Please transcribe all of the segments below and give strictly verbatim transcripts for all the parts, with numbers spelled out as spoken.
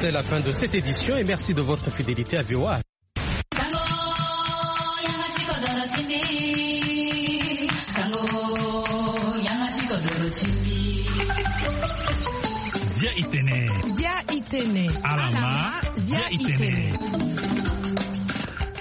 C'est la fin de cette édition et merci de votre fidélité à V O A. Sango, yanga ti kodoro ti mbi. Sango, yanga ti kodoro ti mbi. Zia itene. Zia itene. Alama, zia itene.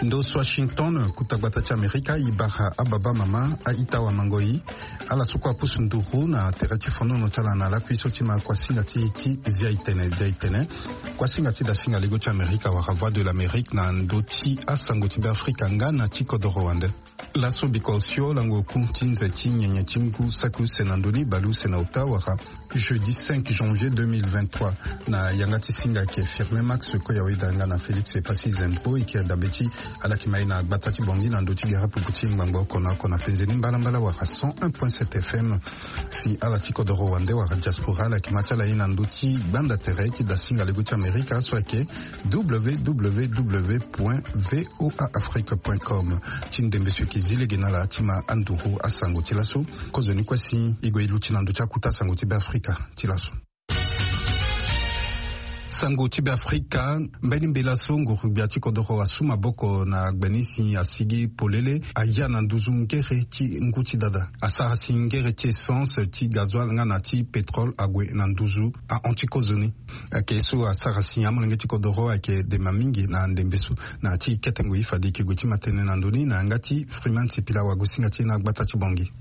Ndo so Washington, kuta gbata ti Amerika, e bara ababa mama, a-ita wamango-i, ala so kue apusu nduru na tere ti fonono ti ala na lakui so ti ma kuasinga ti, ti Zia itene, Zia itene. Kuasinga ti dasinga lego ti Amerika wala Voix de l'Amérique na ndö ti asango ti Beafrika nga na ti kodoro wande. Laso biko osio lango oku ti nze ti nyenye ti ngu saki use na ndö ni bale use na ota wala jeudi cinq janvier deux mille vingt-trois. Na yanga ti singa ayeke Firmin Max Koyawe Danga na Félix Epassi Zembro, e yeke dabe ti ala yeke ma e na gbata ti Bangui na ndö ti gere pupu ti ngbangbo oko na oko na penze ni mbalambala wala cent un point sept F M. Si ala ti kodoro wande wala diaspora ala yeke ma ti ala ye na ndö ti gbanda tere ti dasinga lego ti Amerika so ayeke W W W point V O A Afrique point com. Ti ndembe so e yeke zi lege na ala ti ma anduru asango ti laso. Kozoni kue si e gue e luti na ndö ti akuta sango ti Beafrika ti laso. Sango ti Beafrika. Mbeni mbela so nguru-gbia ti kodoro asu maboko na gbe ni si asigi polele, aya na nduzu ngere ti ngu ti dada. Asara si ngere ti essence, ti gazoil nga na ti pétrole ague na nduzu ahon ti kozoni. Ayeke so asara si amolenge ti kodoro ayeke dema mingi na ndembe so. Na ti kete ngoi fade e yeke gue ti ma tënë na ndö ni na yanga ti Freeman Sipila wagosinga ti e na gbata ti Bangui.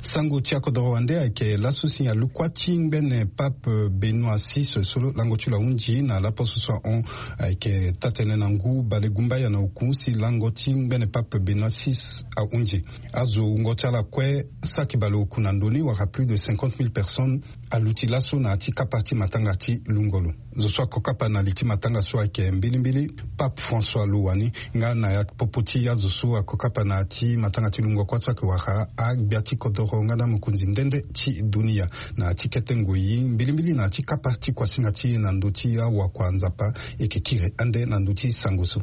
Sango ti akodoro wande ayeke laso si alukua ti ngbene Pape Benoît six so lango ti lo ahunzi na laposo so ahon. Ayeke taa-tënë na ngu bale gumbaya na oku si lango ti ngbene Pape Benoît six ahunzi. Azo wungo ti ala kue saki bale oku na ndö ni wala plus de cinquante mille personnes aluti laso na ya ti kapa ti matanga ti lungo lo. Zo so ako kapa na li ti matanga so ayeke mbilimbili Pape François lo wani, nga na ya popo ti azo so ako kapa na ya ti matanga ti lungo kua so ayeke wara agbia ti kodoro nga na mokonzi nde nde ti dunia. Na ya ti kete ngoi mbilimbili na ya ti kapa ti kuasinga ti e na ndö ti awakua nzapa, e yeke kiri ande na ndö ti sango so.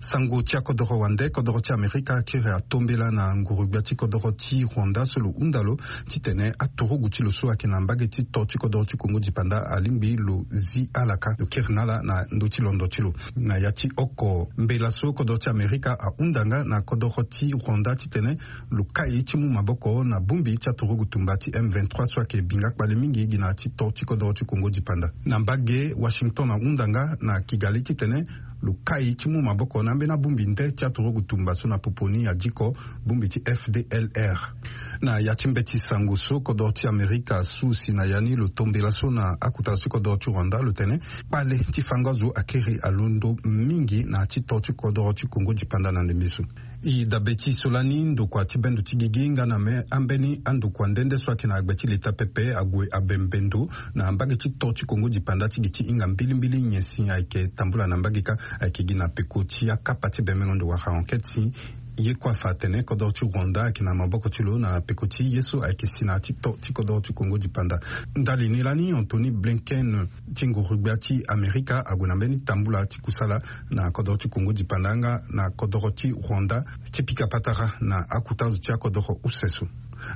Sango ti akodoro wande, kodoro ti Amerika akiri atombela na nguru-gbia ti kodoro ti Rwanda so lo hunda lo titene aturugu ti lo so ayeke na mbage ti to ti kodoro ti Kongo dipanda alingbi lo zi ala ka. Lo kiri na ala na ndö ti londo ti lo. Na ya ti oko mbela so kodoro ti Amerika ahunda nga na kodoro ti Rwanda titene lo kai ti mu maboko na bongbi ti aturugu tumba ti M vingt-trois so ayeke binga kpale mingi gi na ya ti to ti kodoro ti Kongo dipanda. Na mbage, Washington ahunda nga na Kigali titene lo kai ti mu maboko na ambeni abongbi nde ti aturugu tumba so na popo ni adiko bongbi ti F D L R. Na ya ti mbeti sango so kodoro ti Amerika asu si na ya ni lo tombela so na akota so ti kodoro ti Rwanda lo tene kpale ti fango azo akiri alondo mingi na ya ti to ti kodoro ti Kongo dipanda na ndembe so. E dabe ti so lani ndokua ti bendo ti gigi nga na me ambeni andokua nde nde so ayeke na gbe ti leta pepe ague abe mbendo na mbage ti to ti Kongo dipanda ti gi ti hinga mbilimbili nyen si ayeke tambula na mbage kâ. Ayeke gi na peko ti akapa ti bembengo ndo wala enquête si ye kue afa atene kodoro ti Rwanda ayeke na maboko ti lo na peko ti ye so ayeke si na ya ti to ti kodoro ti Kongo dipanda. Ndali ni lani Anthony Blinken ti nguru-gbia ti Amerika ague na mbeni tambula ti kusala na kodoro ti Kongo dipanda nga na kodoro ti Rwanda ti pika patara na akota zo ti akodoro use so.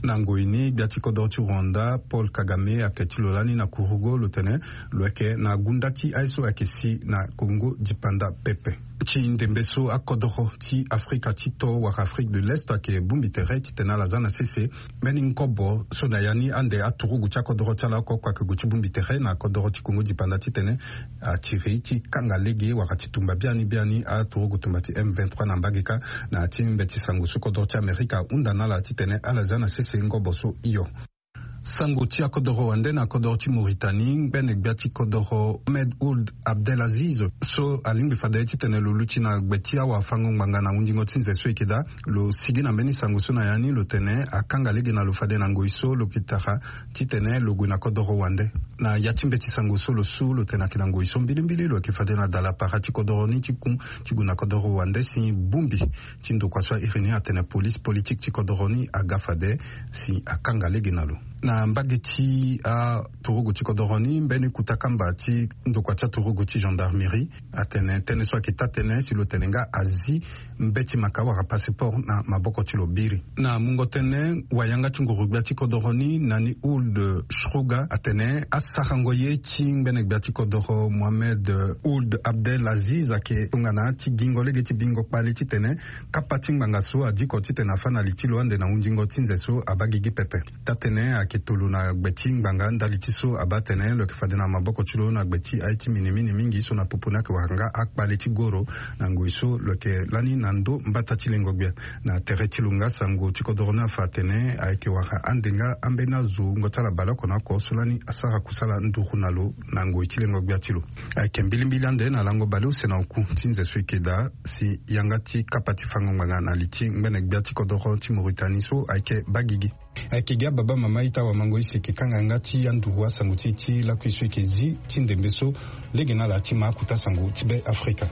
Na ngoi ni gbia ti kodoro ti Rwanda Paul Kagame ayeke ti lo lani na kurugo lo tene lo yeke na gunda ti aye so ayeke si na Kongo dipanda pepe. Ti ndembe so akodoro ti Afrika ti to wala Afrique de l'Est ayeke bongbi tere titene ala za na sese mbeni ngobo so na ya ni ande aturugu ti akodoro ti ala oko oko ayeke gue ti bongbi tere na kodoro ti Kongo dipanda titene atiri ti kanga lege wala ti tumba biani biani aturugu tumba ti M vingt-trois na mbage kâ. Na ya ti mbeti sango so kodoro ti Amerika ahunda na ala titene ala za na sese ngobo so hio. Sango ti akodoro wande na kodoro ti Mauritanie, ngbene gbia ti kodoro Ahmed Ould Abdelaziz so alingbi fade titene lo luti na gbe ti awafango ngbanga na hundingo ti nze so e yeke daa, lo sigi na mbeni sango so na ya ni lo tene akanga lege na lo fade na ngoi so lo yeke tara titene lo gue na kodoro wande. Na ya ti mbeti sango so lo su lo tene ayeke na ngoi so mbilimbili lo yeke fade na dala para ti kodoro ni ti ku ti gue na kodoro wande si bongbi ti ndokua so a iri ni atene police politique ti kodoro ni aga fade si akanga lege na lo. Na mbage ti aturugu ti kodoro ni, mbeni kuta kamba ti ndokua ti aturugu ti gendarmerie atene tënë so ayeke taa-tënë si lo tene nga azi mbeti maka wala passeport na maboko ti lo biri. Na mungo tënë, wayanga ti nguru-gbia ti kodoro ni, na ni Ould Shrouga, atene asarango ye ti ngbene gbia ti kodoro Mohamed Ould Abdel Aziz ayeke tongana ti gingo lege ti bingo kpale titene kapa ti ngbanga so adiko titene afâ na li ti lo ande na hundingo ti nze so abaa gigi pepe. Taa-tënë ayeke tolo na gbe ti ngbanga ndali ti so abaa tene lo yeke fade na maboko ti lo na gbe ti aye ti minimini mingi so na popo ni ayeke wara nga akpale ti goro na ngoi so lo yeke lani na ndo mbata ti lengo-gbia. Na tere ti lo nga sango ti kodoro ni afa atene ayeke wara ande nga ambeni azo wungo ti ala baleoko na oko so lani asara kusala nduru na lo na ngoi ti lengo-gbia ti lo. Ayeke mbilimbili ande na lango baleuse na oku ti nze so e yeke daa si yanga ti kapa ti fango ngbanga na li ti ngbene gbia ti kodoro ti Mauritanie so ayeke baa gigi. Ayeke gi ababa mama ita wamango isi eke kanga yanga ti anduru asango ti e ti lakui so eke zi ti ndembe so lege na ala ti ma akuta sango ti Be Afrika.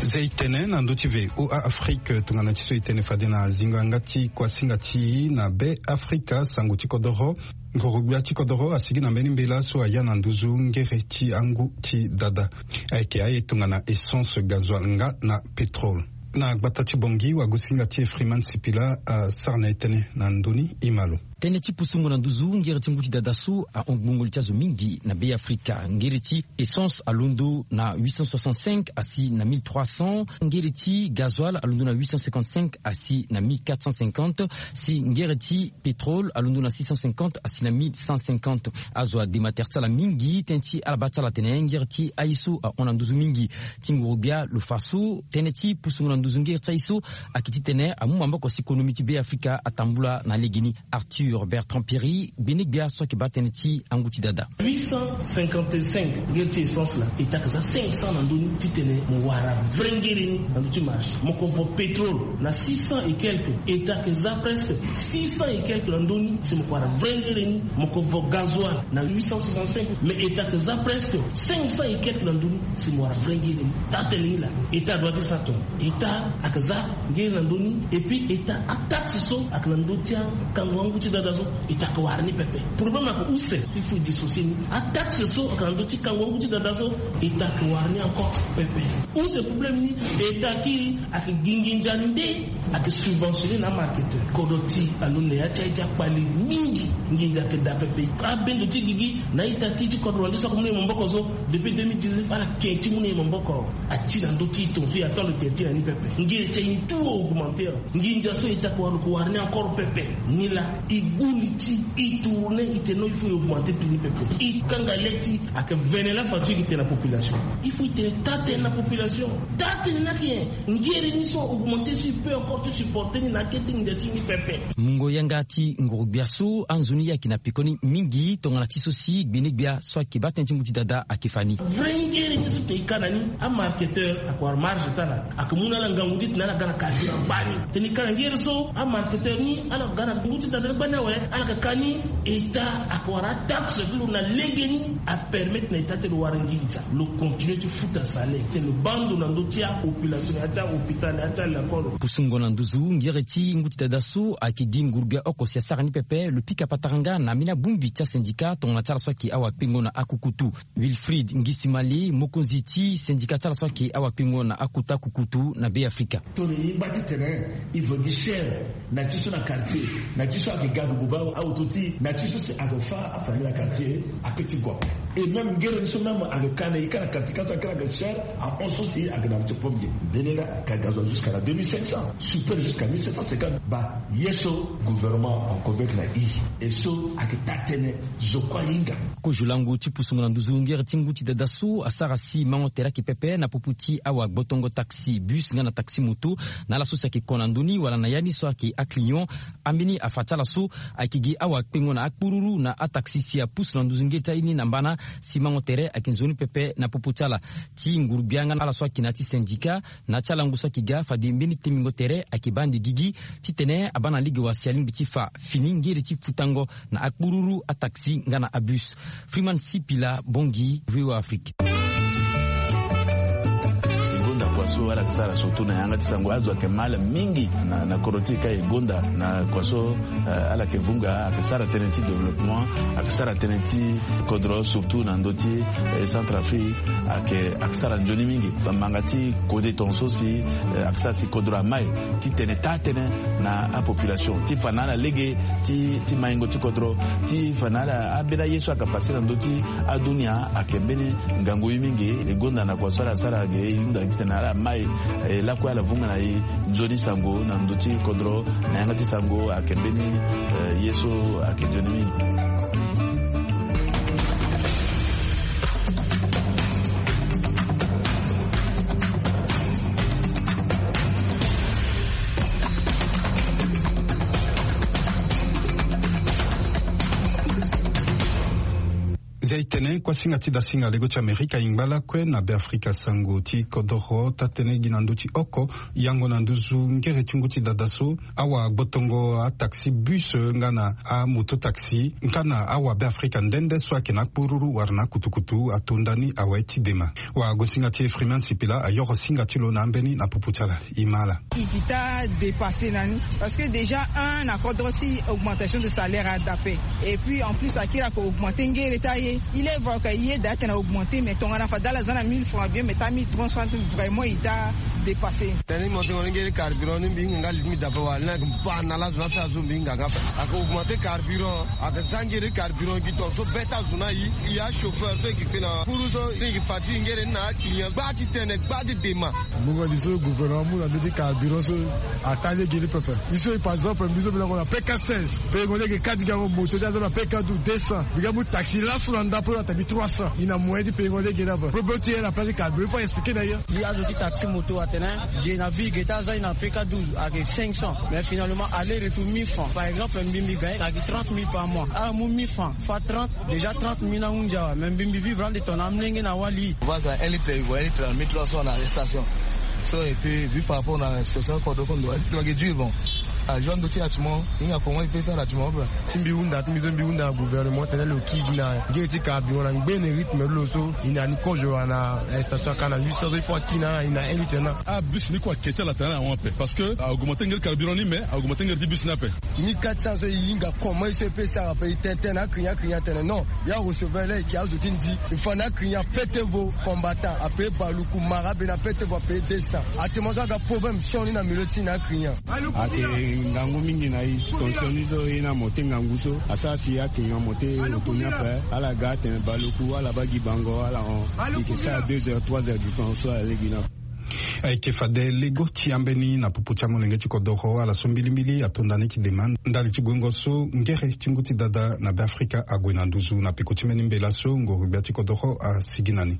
Zei tene na ndö ti V O A Afrique, tongana ti so e tene fade na zingo yanga ti kuasinga ti e na Be Afrika, sango ti kodoro, ngoro-gbia ti kodoro asigi na mbeni mbela so aya na nduzu ngere ti angu ti dada. Ayeke aye tongana essence, gasoil nga na pétrole. Na gbata ti Bangui, wagosinga ti e Freeman Sipila asara na e tënë na ndö ni, e ma lo. Tënë ti pusungo na nduzu ngere ti ngu ti dada so ahon gbungo li ti azo mingi na Be Afrika. Ngere ti essence alondo na huit cent soixante-cinq asi na mille trois cents. Ngere ti gasoil alondo na huit cent cinquante-cinq asi na mille quatre cent cinquante. Si ngere ti pétrole alondo na six cent cinquante asi na mille cent cinquante. Azo adema tere ti ala mingi, tënë ti ala baa ti ala atene ngere ti aye so ahon na nduzu mingi ti nguru-gbia lo fa so. Tënë ti pusungo na nduzu ngere ti aye so ayeke titene amu maboko si konomi ti Be Afrika atambula na legeni. Arthur Bertrand Pierry, gbene-gbia so ayeke baa tënë ti angu ti dada. Huit cent cinquante-cinq ngere ti essence laa, État ayeke za cinq cents na ndö ni titene mo wara vrai ngere ni na ndö ti marché. Mo ko vo pétrole na six cents et quelques, État ayeke za presque six cents et quelques na ndö ni si mo ko wara vrai ngere ni. Mo ko vo gasoil na huit cent soixante-cinq, mais État ayeke za presque cinq cents et quelques na ndö ni si mo wara vrai ngere ni. Taa-tënë ni laa, État adoit ti sara tongana État ayeke za ngere na ndö ni, et puis État ataxe so ayeke na ndö ti akango angu ti dada so, État ayeke wara ni pepe. Problème ayeke use, il faut e dissocier ni. Ataxe so ayeke na ndö ti kango angu ti dada so, État ayeke wara ni encore pepe. Use problème ni, État kiri ayeke gi nginza nde ayeke subventionner na amarketeur. Kodro ti e alondo na ya ti aye ti akpale mingi. Nginza ayeke daa pepe. Abendo ti gigi na a-ita ti e ti kodro wande so ayeke mu na e maboko so, depuis deux mille dix-neuf ala yeke ti mu na e maboko. Ati na ndö ti e tongaso e attend lo tere ti e na ni pepe. Ngere ti aye ni tout a augmenter. Nginza so État ayeke wara, lo yeke wara ni encore pepe. Ni laa e gbu li ti e, e tourner, e tene non, il faut e augmenter prix ni pepe. E kanga le ti e, ayeke vene la façon e yeke tene na population. Il faut e tene taa-tënë na population. Taa-tënë ni ayeke nyen? Ngere ni so a augmenter so e peut encore ti supporter ni na akete nginza ti e ni pepe. Mungo yanga ti nguru-gbia so, anzoni ye ayeke na pekoni mingi tongana ti so si gbene-gbia so ayeke baa tënë ti ngu ti dada ayeke fa ni. Vrai ngere ni so tongana e ka na ni, amarketeur ayeke wara marge ti ala, ayeke mu na ala ngangu ti tene ala ga na carburant gbani. Tene e ka na ngere so, amarketeur ni ala ga na ngu ti dada ni gbani awe, ala yeke ka ni. État ayeke wara ataxe ti lo na legeni, apermettre na État ti lo wara nginza. Lo continuer ti futa salaire, titene lo baa ndo na ndö ti apopulation, na ya ti ahôpital, na ya ti alekole. Pusungo na nduzu ngere ti ngu ti dada so ayeke gi nguru-gbia oko si asara ni pepe, lo pika patara nga na ambeni abongbi ti asyndicat tongana ti ala so ayeke awakpengo na akukutu. Wilfried Ngisimale, mokonzi ti syndicat ti ala so ayeke awakpengo na akota kukutu na Be Afrika. Tongana e ngba titene e vo gi chaire na ti so na quartier, na ti so ayeke ga gugu baa aoto ti e, na ti so si ayeke fâ afamille na quartier, ape ti gue ape. Et même ngere ni so même ayeke ka na e ka na quartier, ka so ayeke ka na chaire, ahon so si ayeke na ti pomme ge. Mbeni laa ayeke ka gasoil jusqu'à na deux mille cinq cents, super jusqu'à mille sept cent cinquante. Baa ye so gouvernement en convaincre na e, e so ayeke taa-tënë zo kue ahinga. Kozo lango ti pusungo na nduzu ngere ti ngu ti dada so asara si mango tere ayeke pepe na popo ti awagbotongo taxi bus nga na taxi moto, na ala so si ayeke ko na ndö ni wala na ya ni so ayeke aclient. Ambeni afa ti ala so ayeke gi awakpengo na akpururu na ataxi si apusu na nduzu ngere ti aye ni na mbana si mango tere ayeke nzoni pepe na popo ti ala. Ti nguru-gbia nga na ala so ayeke na ya ti syndicat, na ya ti alango so ayeke ga fade mbeni tembingo tere ayeke baa ande gigi titene abaa na lege wa si alingbi ti fa fini ngere ti futango na akpururu, ataxi nga na abus. Freeman Sipila, Bangui, V O A Afrique. Kua so ala yeke sara surtout na yanga ti sango azo ayeke ma ala mingi na kodro ti e ka e gonda na kua so ala yeke vunga ayeke sara tënë ti développement, ayeke sara tënë ti kodro surtout na ndö ti centre afrique. Ayeke sara nzoni mingi bamanga ti kode tonga so si ayeke sara si kodro ama e ti tene taa tënë na apopulation ti fa na ala lege ti maingo ti kodro ti fa na ala ambeni aye so ayeke pase na ndö ti adunia ayeke mbeni ngangu ye mingi. E gonda na kua so ala sara ge e hunda gi tene ala mai lakue ala vunga na e nzoni sango na ndö ti kodro na yanga ti sango ayeke mbeni ye so ayeke nzoni mingi. Zia e tene kuasinga ti dasinga lego ti amerika e ngba lakue na beafrika sango ti kodoro taa-tënë gi na ndö ti oko yango na nduzu ngere ti ngu ti dada so awagbotongo ataxi bus nga na amoto taxi nga na awabeafrika nde nde so ayeke na akpururu wala na akutukutu atonda ni awe ti dema. Wagosinga ti e freeman sipila ayoro singa ti lo na ambeni na pupu ti ala. E ma ala. E gi taa dépassé na ni parce que déjà un na kodro ti augmentation de salaire adape. Et puis en plus akiri ako augmenté ngere ti aye. Il est vrai que ye daa atene augmenté mais tongana fade ala za na mille francs bien mais taa mille trois cents vraiment e daa dépassé. Tene ni monté ngoni ngere carburant ni mbi hinga nga li ti mbi dape wala ni ayeke mba na lazo ni aso azo mbi hinga nga ape. Ako augmenté carburant. Aka za ngere carburant gi tonga so be ti azo ni ayi. E ya chauffeur so e yeke kpe na kpuru so e yeke fa ti ngere ni na aclient gba ti tene gba ti dema. Mbongo ni so gouvernement amu na ndö ti carburant so ataa lege ni pepe. E so e par exemple mbi so mbi na ngo na pk seize. Payengo lege quatre gi yango moto ti aza na pk douze deux cents. Mbi ga mu taxi laso na ndapo na tabi trois cents. E na moyen ti payengo lege ni ape. Problème ti ye na place ti carburant il faut expliquer na ye. E azo ti taxi moto atene ge na vie ge ti aza e na pk douze ayeke cinq cents mais finalement aller retour mille francs par exemple mbi mbi gagne ayeke trente mille par mois ala mu mille francs fois trente. Déjà trente mille na hunzi awe mais mbi mbi vivre ande tongana amolenge na wali. Vaka un litre e vo un litre na mille trois cents na arrestation. So et puis vu par rapport na situation kodro kondo un litre ayeke dur bon. Ajour ndo ti atiment hinga comment e pe sara atiment ape. Ti mbi hunda ti mbi so mbi hunda na gouvernement tene lo kiri gi na ngere ti carburant na ngbene rythme ti lo so. E na ni kozo wala na station aka na huit cents so il faut akiri na ala e na un litre na. Abus ni kue ake ti ala tene na ahon ape parce que a augmenté ngere carburant ni mais a augmenté ngere ti bus ni ape. Ni quatre cents so e hinga comment e so e pe sara ape e tene tene na aclient aclient atene non. Ya recevoir la eke azo ti ndi. E fa na aclient apete vo combattant ape baluku mara be na apete vo ape deux cents. Atiment so aga problème sioni na milieu ti na aclient. Ayeke ngangu mingi na e. Tonsion ni so e na mo te ngangu so asara si aclient mo te oto ni ape. Ala ga atene baluku ala baa gi bango ala hon. E yeke sara deux heures trois heures du temps so ala lege ni ape. Ayeke fade lego ti ambeni na popo ti amolenge ti kodoro ala so mbilimbili atonda ni ti dema ndali ti guengo so ngere ti ngu ti dada na beafrika ague na nduzu na peko ti mbeni mbela so ngoro-gbia ti kodoro asigi na ni.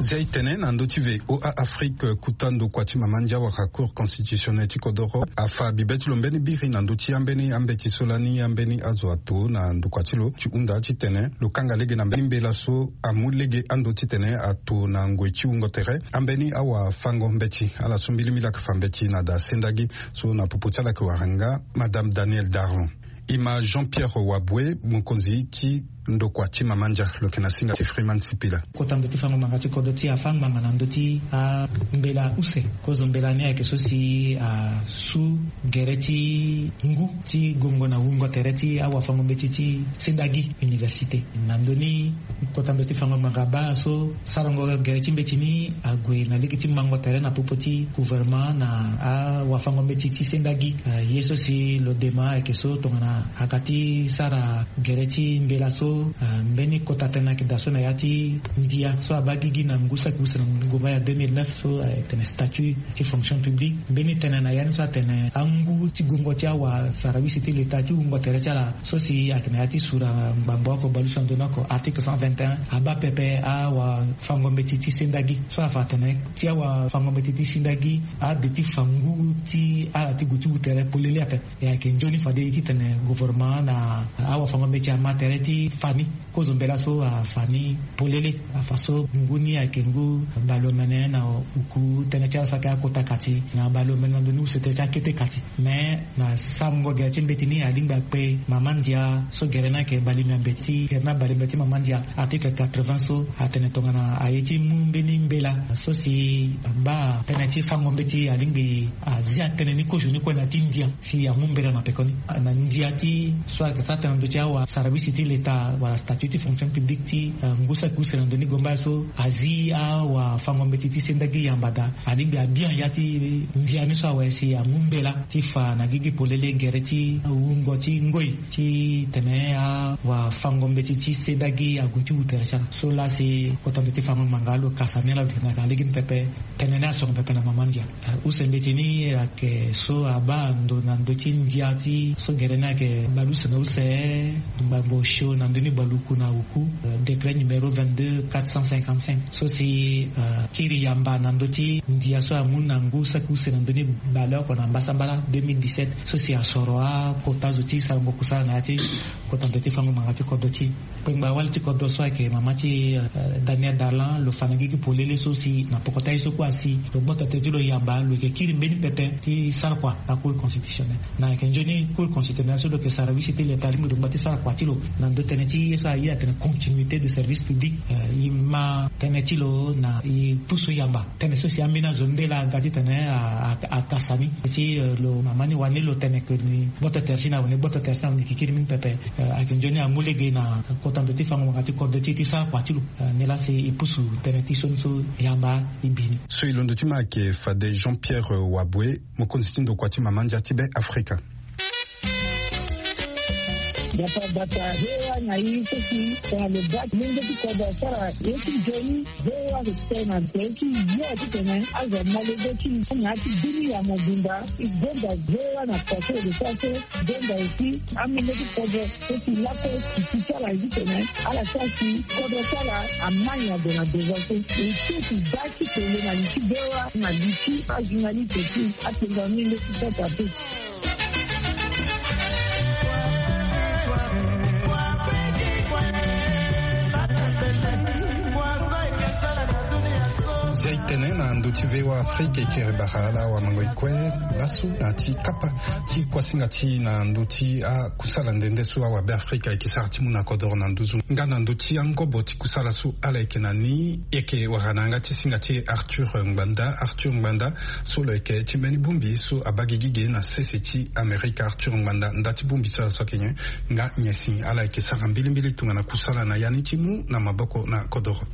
Zia e tene na ndö ti voa afrique kuta ndokua ti mama ndia wala cour constitutionnelle ti kodoro afa bibe ti lo mbeni biri na ndö ti ambeni ambeti so lani ambeni azo ato na ndokua ti lo ti hunda titene lo kanga lege na mbeni mbela so amu lege ando titene ato na ngoi ti wungo tere ambeni awafango mbeti ala so mbilimbili ayeke fa mbeti na da sendagi. So na popo ti ala ayeke wara nga madame daniel darlon. E ma jean pierre wabue mokonzi ti ndokua ti mama ndia lo yeke na singa ti freeman sipila. Kota ndo ti fango ngbanga ti kodro ti afa ngbanga na ndö ti ambela use. Kozo mbela ni ayeke so si asu gere ti ngu ti gongo na wungo tere ti awafango mbeti ti sendagi université. Na ndö ni kota ndo ti fango ngbanga baa so sarango gere ti mbeti ni ague na lege ti mango tere na popo ti gouvernement na awafango mbeti ti sendagi. Ye so si lo dema ayeke so tongana aga ti sara gere ti mbela so mbeni kota tënë ayeke daa so na ya ti ndia so abaa gigi na ngu saki use na ngu mai ya deux mille neuf so ayeke tene statut ti fonction publique mbeni tënë na ya ni so atene angu ti gongo ti awasara use ti leta ti wungo tere ti ala so si ayeke na ya ti sura ngbambo oko baleuse na ndoni oko article cent vingt et un abaa pepe awafango mbeti ti sendagi so afa atene ti awafango mbeti ti sendagi ade ti fa ngu ti ala ti gue ti wu tere polele ape. E ayeke nzoni fade ye titene gouvernement na awafango mbeti ama tere ti Fani kozo mbela so afa ni polele. Afa so ngu ni ayeke ngu baleomene na uku tënë ti ala so ayeke akota kati na baleomene na ndö ni use tënë ti akete kati. Me na sango gere ti mbeti ni alingbi akpe mama ndia so gere ni ayeke baleomene ti gere ni abaleomene ti mama ndia article quatre-vingts so atene tongana aye ti mu mbeni mbela so si abaa tënë ti fango mbeti alingbi azia tënë ni kozo ni kue na ti ndia si amu mbela na pekoni na ndia ti so ayeke sara tënë na ndö ti awa sarabisi ti leta wala statut ti fonction publique ti ngu saki use na ndö ni gomba so azi awa fango mbeti ti senda gi yamba daa alingbi abia ya ti ndia ni so awe si amu mbela ti fa na gigi polele gere ti wungo ti ngoi ti tene awa fango mbeti ti senda gi ague ti wu tere ti ala so laa si kota ndö ti fango ngbanga lo kasa ni ala lo tene na lege ni pepe. Tene ni asoro pepe na mama ndia. Use mbeti ni ayeke so abaa ndo na ndö ti ndia ti so gere ni ayeke baleuse na use ngbangbo osio na ndö ni baleoku na oku. Décret numéro vingt-deux quatre cent cinquante-cinq so si kiri yamba na ndö ti ndia so amu na ngu saki use na ndö ni baleoko na mbasambala deux mille dix-sept so si asoro akota zo ti sarango kusala na ya ti kota ndö ti fango ngbanga ti kodro ti kpengba wali ti kodro so ayeke mama ti Daniel Darlan lo fa na gigi polele so si na poko ti aye so kue asi lo gboto tere ti lo yamba lo yeke kiri mbeni pepe ti sara kua na cour constitutionnelle. Na ayeke nzoni cour constitutionnelle so lo yeke sara wisi ti leta alingbi lo ngba ti sara kua ti lo na ndö tënë ti ye so aye atene continuité de service public. E ma tënë ti lo na e pusu yamba tënë so si ambeni azo nde laa aga titene akasa ni ti lo mama ni wani lo tene ke ni gboto tere ti na wani gboto tere ti na wani kikiri mingi pepe. Ayeke nzoni amu lege na kota ndo ti fango ngbanga ti kodro ti e ti sara kua ti lo. Ni laa si e pusu tënë ti sioni so yamba e bi ni. So e londo ti ma ayeke fade Jean Pierre Waboué, mokonzi ti ndokua ti mama ndia ti Be Afrika. Gbata gbata, ve wa na i so si tongana lo baa ti lenge ti kodro asara ye ti nzoni. Ve wa respect na tere ti yo titene azo amolenge ti na ya ti bini ya mobimba. E gonda ve wa na kua so e lo sara so. Gonda aussi amolenge ti kodro so si lakue titi ti ala titene ala sara si kodro ti ala amai ague na devant so. E so si baa ti tene na li ti ve wa na li ti ajournaliste ti apenza amolenge ti kota pe. Zia e tene na ndö ti V O A Afrique e kiri bara ala wamango e kue laso na ti kapa ti kuasinga ti na ndö ti akusala nde nde so awabe Afrika ayeke sara ti mu na kodoro na nduzu nga na ndö ti angobo ti kusala so ala yeke na ni. Yeke wara na yanga ti singa ti Arthur Ngbanda. Arthur Ngbanda so lo yeke ti mbeni bongbi so abaa gigi ge na sese ti Amerika. Arthur Ngbanda nda ti bongbi ti ala so ayeke nyen? Nga nyen si ala yeke sara mbilimbili tongana kusala na ya ni ti mu na maboko na kodoro?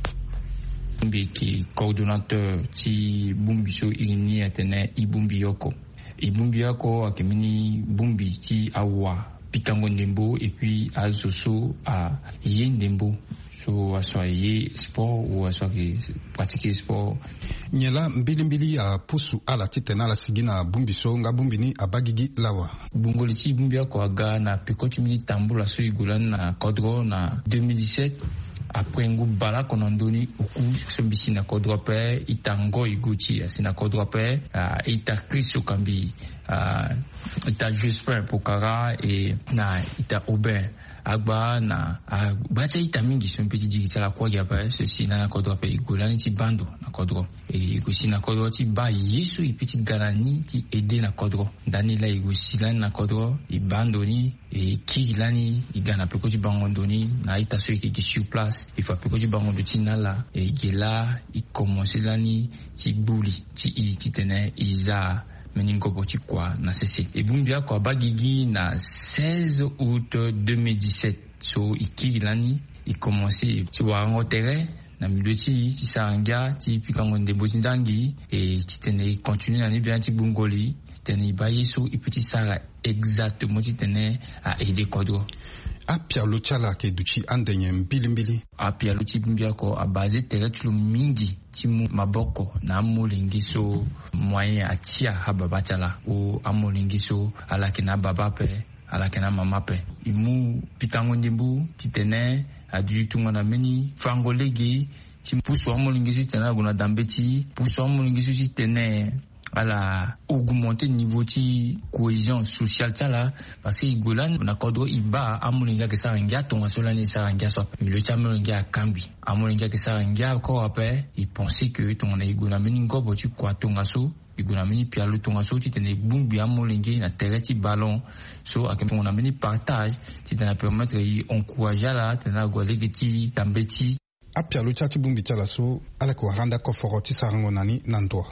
Mbi yeke coordonnateur ti bongbi so iri ni atene e bongbi oko. E bongbi oko ayeke mbeni bongbi ti awa pikango ndembo et puis azo so aye ndembo so aso aye sport ou aso ayeke pratiquer sport. Nyen laa mbilimbili apusu ala titene ala sigi na bongbi so nga bongbi ni abaa gigi lawa? Gbungo li ti bongbi oko aga na peko ti mbeni tambula so e gue lani na kodro na deux mille dix-sept. Après ngu baleoko na ndö ni oku so mbi si na kodro ape, ita Ngoy Gauthier asi na kodro ape, ah, ita Chris Okambi, ah, ita Jospin Pokara e na ita Aubin Agba na agba ti a-ita mingi so mbi pe ti diri ti ala kue gi ape so e si lani na kodro ape. E gue lani ti baa ndo na kodro. E gue si na kodro ti baa ye so e pe ti ga na ni ti aide na kodro. Ndani laa e gue si lani na kodro e baa ndo ni. E kiri lani e ga na peko ti bango ndo ni na a-ita so e yeke gi sur place. E fa peko ti bango ndo ti na ala e ge laa e komanse lani ti gbu li ti e titene e za mbeni ngobo ti kua na sese. E bongbi oko abaa gigi na seize août deux mille dix-sept. So e kiri lani e komanse ti warango tere na milieu ti e ti sara ngia ti pikango ndembo ti ndangi. E titene e continue na ni biani ti gbungo li titene e baa ye so e pe ti sara exactement titene a aide kodro. Apialo ti ala ayeke duti ande nyen mbilimbili? Apialo ti bongbi oko abase tere ti lo mingi ti mu maboko na amolenge so moyen atia ababa ti ala, ou amolenge so ala yeke na ababa ape, ala yeke na amama ape. E mu pikango ndembo titene aduti tongana mbeni fango lege ti pusu amolenge so titene ala gue na dambe ti e, pusu amolenge so titene Ala augmenter niveau ti cohésion sociale ti ala. Parce que e gue lani na kodro e baa amolenge ayeke sara ngia tongaso lani e sara ngia so ape milieu ti amolenge akangbi. Amolenge ayeke sara ngia encore ape. E pense que tongana e gue na mbeni ngobo ti kua tongaso, e gue na mbeni pialo tongaso titene e bongbi amolenge na tere ti ballon. So ayeke tongana mbeni partage titene apermettre e encourager ala titene ague lege ti tambeti. Apialo ti ya ti bongbi ti ala so ala yeke wara ande akoforo ti sarango na ni na ndo.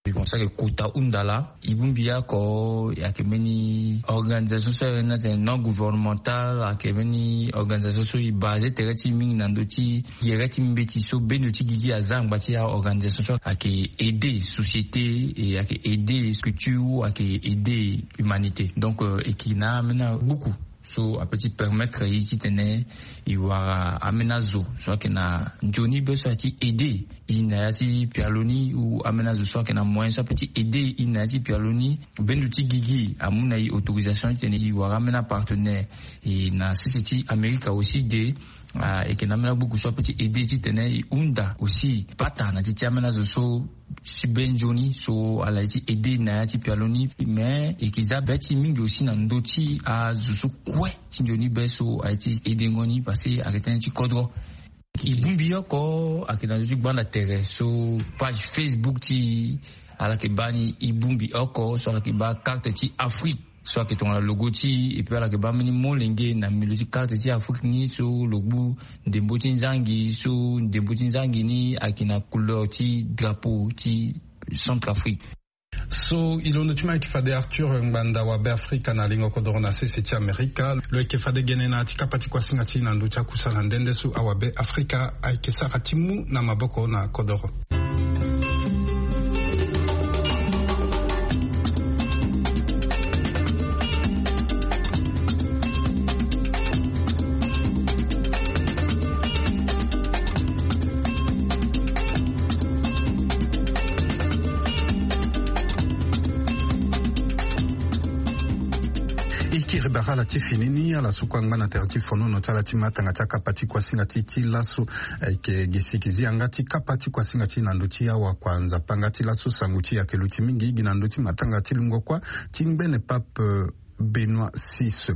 Mbi pense ayeke kota hunda laa. E bongbi oko ayeke mbeni organisation so ayeke na tene non gouvernemental, ayeke mbeni organisation so e base tere ti e mingi na ndö ti gere ti mbeti so bendo ti gigi aza angba ti aorganisation so ayeke aider société, e ayeke aider culture, ayeke aider humanité. Donc e yeke na ambeni agbuku so ape ti permettre e titene e wara ambeni azo so ayeke na nzoni be so aye ti aider e na ya ti pialo ni, ou ambeni azo so ayeke na moyen so ape ti aider e na ya ti pialo ni. Bendo ti gigi amu na e autorisation titene e wara ambeni apartenaire. E na sese ti Amerika aussi de, e yeke na ambeni agbuku so ape ti aider titene e hunda aussi pata na ti ti ambeni azo so si be nzoni so ala ye ti aider na ya ti pialo ni. Mais e yeke za be ti e mingi aussi na ndö ti azo so kue ti nzoni be so aye ti aidengo ni parce que ayeke tënë ti kodro. E bongbi oko ayeke na ndö ti gbanda tere so page Facebook ti e ala yeke baa ni. E bongbi oko so ala yeke baa carte ti Afrique so ayeke tongana logo ti e, et puis ala yeke baa mbeni molenge na milieu ti carte ti Afrique ni so lo gbu ndembo ti nzangi, so ndembo ti nzangi ni ayeke na couleur ti drapeau ti Centrafrique. So e londo ti ma ayeke fade Arthur Ngbanda, awabe Afrika na lingo kodoro na sese ti Amerika. Lo yeke fade gene na ya ti kapa ti kuasinga ti e na ndö ti akusala nde nde so awabe Afrika ayeke sara ti mu na maboko na kodoro. E kiri bara ala ti fini ni ala so kue angba na tere ti fonono ti ala ti matanga ti akapa ti kuasinga ti e ti laso. Ayeke gi siki zi yanga ti kapa ti kuasinga ti e na ndö ti awakua Nzapa nga ti laso. Sango ti e ayeke luti mingi gi na ndö ti matanga ti lungo kuâ ti ngbene pape Benoît six.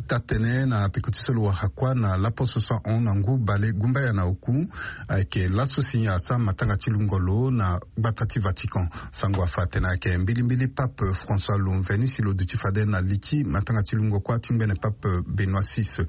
Taa-tene na peko ti so lo wara kuâ na laposo so ahon na ngu bale gumbaya na oku, ayeke laso si asara matanga ti lungo lo na gbata ti Vatican. Sango afa atene ayeke mbilimbili pape François lo mveni si lo duti fade na li ti matanga ti lungo kuâ ti ngbene pape Benoît six.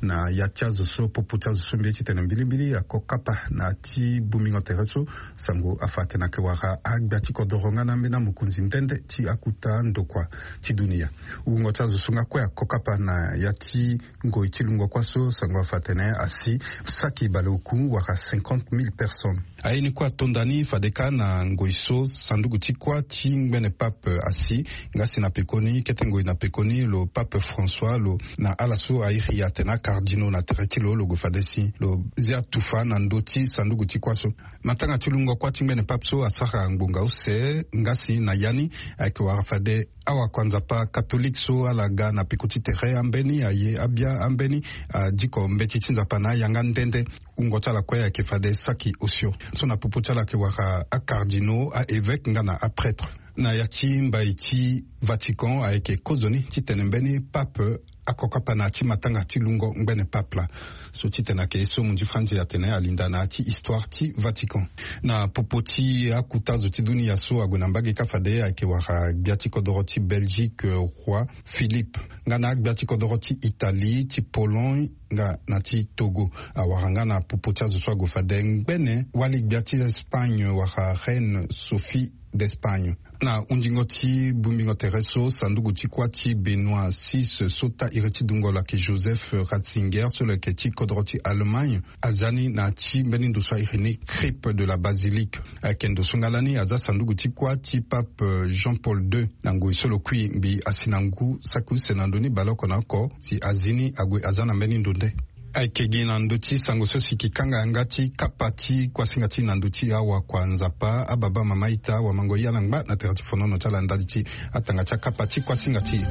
Na ya ti azo so popo ti azo so mbi ye titene mbilimbili ako kapa na ya ti bongbingo tere so, sango afa atene ayeke wara agbia ti kodoro nga na ambeni amokonzi nde nde ti akuta ndokua ti dunia. Wungo ti azo so nga kue ako kapa na ya ti ngoi ti lungo kuâ so, sango afa atene asi saki bale oku wala cinquante mille personnes. Aye ni kue atonda ni fade kâ na ngoi so sanduku ti kuâ ti ngbene pape asi. Nga si na pekoni kete ngoi na pekoni lo pape François lo na ala so airi atene acardinaux na tere ti lo, lo gue fade si lo zia tufa na ndö ti sanduku ti kuâ so. Matanga ti lungo kuâ ti ngbene pape so asara ngbonga use nga si na ya ni ayeke wara fade awakua Nzapa katolike so ala ga na peko ti tere ambeni aye abia ambeni adiko mbeti ti Nzapa na ayanga nde nde. Wungo ti ala kue ayeke fade saki osio. So na popo ti ala ayeke wara acardinaux, aévêque nga na aprêtre. Na ya ti mbai ti Vatican ayeke kozoni titene mbeni pape ako kapa na ya ti matanga ti lungo ngbene pape laa. So titene ayeke ye so munzi franzi atene alinda na ya ti histoire ti Vatican. Na popo ti akuta zo ti dunia so ague na mbage kâ fade ayeke wara gbia ti kodoro ti Belgique, roi Philippe, nga na agbia ti kodoro ti Italie, ti Pologne nga na ti Togo. Awara nga na popo ti azo so ague fade ngbene wali gbia ti Espagne wala reine Sophie d'Espagne. Na hundingo ti bongbingo tere so sanduku ti kuâ ti Benoît six so taa iri ti dungo lo ayeke Joseph Ratzinger so lo yeke ti kodoro ti Allemagne, aza ni na ya ti mbeni ndo so airi ni crypte de la basilique. Ayeke ndo so nga lani aza sanduku ti kuâ ti pape Jean Paul deux. Na ngoi so lo kui mbi asi na ngu saki use na ndö ni baleoko na oko si azi ni ague aza na mbeni ndo nde. Ayeke gi na ndö ti sango so si kikanga yanga ti kapa ti kuasinga ti na ndö ti awakua Nzapa, ababa mama ita wamango yala ngba na tere ti fonono ti ala ndali ti atanga ti akapa ti kuasinga ti.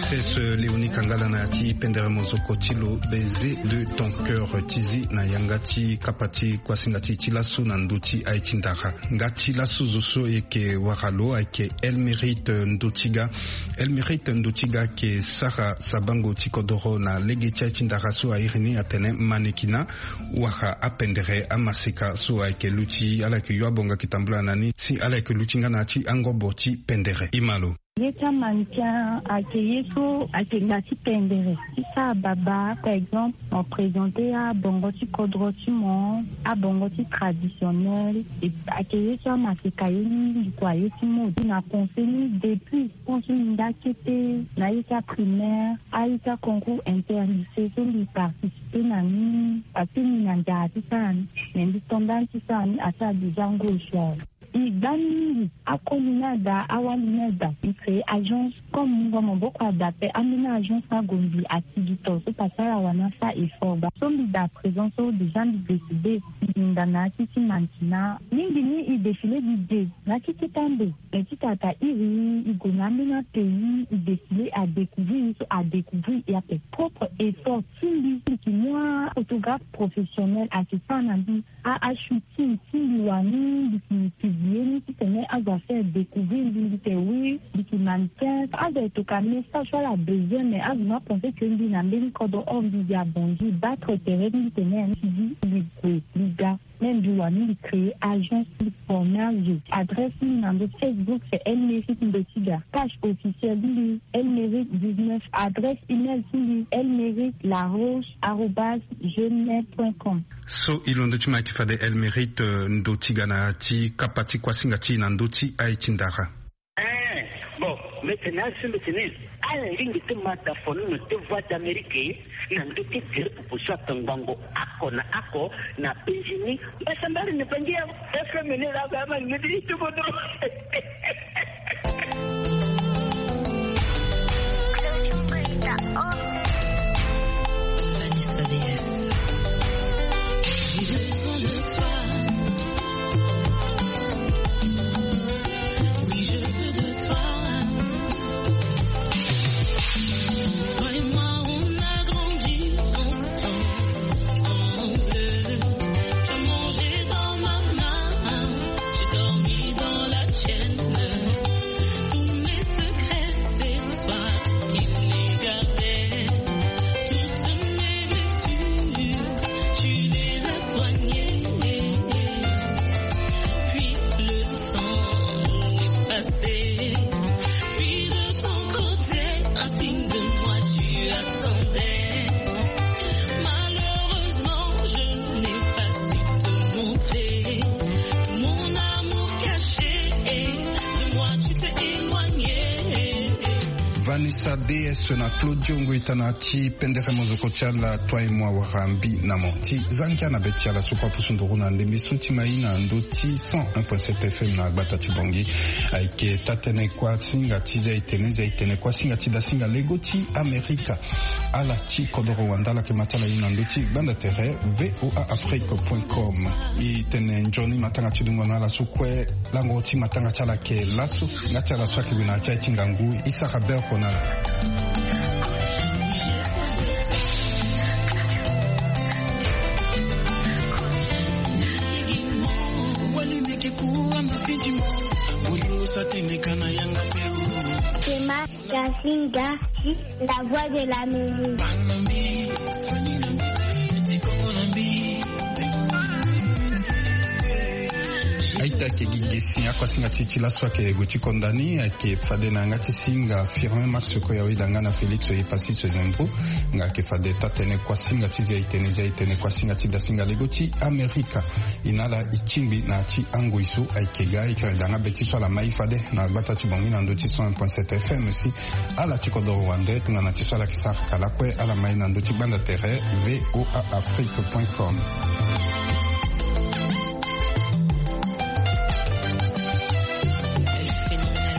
Sese Léonie Kangala na ya ti pendere mozoko ti lo, baiser de ton cœur, ti zi na yanga ti kapa ti kuasinga ti ti lasu na ndö ti aye ti ndara. Nga ti lasu zo so e yeke wara lo ayeke Elmérite Ndotiga. Elmérite Ndotiga ayeke sara sabango ti kodoro na lege ti aye ti ndara so a iri ni atene mannequinat, wala apendere amaseka so ayeke luti, ala yeke yo abonga yeke tambula na ni si ala yeke luti nga na ya ti angobo ti pendere. E ma lo. Ye ti amannequin ayeke ye so ayeke nda ti pendere ti sara babâ, par exemple, mo présenter abongo ti kodro ti mo, abongo ti traditionnel. Ayeke ye so amaseka ye ni, mbi kua ye ti mode. Na pensé ni depuis, pense ni nda kete na ye ti aprimaire, aye ti aconcours interlycée so mbi participer na ni, parce que mbi na nzara ti sara ni. Mais mbi tonda ni ti sara ni asara déjà ngoi so awe. E gba mingi akoli ni ada, awali ni ada. E créer agence comme mungo maboko ada ape, ambeni agence ni ague mbi atigito so parce que ala wani asara effort bâ. So mbi daa présent so déjà mbi décider mbi hinga na ya ti ti mannequinat. Mingi ni e défilé mbi de na ya ti kota ndo. Mais ti tata iri e gue na ambeni apays, e défilé, adécouvrir e so adécouvrir e ape. Propre effort ti mbi, mbi yeke mu aphotographe professionnel ayeke sara na mbi a, ashooting ti mbi wani, mbi yeke publier ni titene azo afaire découvrir mbi, mbi tene oui, mbi yeke mannequin. Azo ayeke toka message so ala besoin, mais azo ni apensé que mbi na mbeni kodro, or mbi gi abongi battre terrain ti mbi tene mbi gue mbi ga. Même mbi wani mbi créer agence ti former azo. Adresse ti mbi na ndo Facebook c'est Elmérite Ndotiga. Page officielle ti mbi Elmérite dix-neuf. Adresse email ti mbi Elmérite Laroche arobase gmail point com. So e londo ti mo ayeke fade Elmérite, euh, Ndotiga na ya ti kapa ti kuasinga ti e na ndö ti aye ti ndara. Eh, bon, mbi tene na azo so mbi tene ala lingbi ti ma da fono na te Voix d'Amérique na ndö ti gere popo so atongbango oko na oko na penzi ni. Mbasambala ni bangi ya F M ni la ba ma ni di ti bodo. Vanessa D S. Oui, je veux de toi. Toi et moi, on a grandi ensemble. Tu as mangé dans ma main, j'ai dormi dans la tienne. Tous mes secrets, c'est toi qui les gardais. Toutes mes blessures, tu les as soignées. Puis le temps est passé. Puis de ton côté, un signe de moi tu attendais. Malheureusement, je n'ai pas su te montrer. Mon amour caché, de moi tu t'es éloigné. Vanessa D S na Claudio Ngoita na ti pendere mozoko ti ala Toi et moi wala Mbi na mo. Ti za ngia na be ti ala so kue apusu nduru na ndembe so ti mai na ndö ti cent un point sept F M na gbata ti Bangui. Ayeke taa-tënë kuasinga ti zia-itene, zia-itene kuasinga ti dasinga lego ti Amerika. Ala ti kodoro wande ala yeke ma ti ala ye na ndö ti gbanda tere V O A Afrique point com. E tene nzoni matanga ti dungo na ala so kue. Lango ti matanga ti ala ayeke laso. Nga ti ala so ayeke gue na ya ti aye ti ngangu, e sara be oko na ala. Tema Kasinga, la voix de l'Amérique. Aita ke gi gesi akuasinga ti ti laso ayeke gue ti konda ni, ayeke fade na yanga ti singa Firmin Max Koya weda nga na Félix Epassis Zembro. Nga ayeke fade taa-tënë kuasinga ti zia-itene, zia-itene kuasinga ti dasinga lego ti Amerika. E na ala e tingbi na ya ti angoi so ayeke ga, e yeke da nga be ti so ala mai fade na gbata ti Bangui na ndö ti cent un point sept F M si ala ti kodoro wande tongana ti so ala yeke sara ka lakue, ala mai na ndö ti gbanda tere V O A Afrique point com.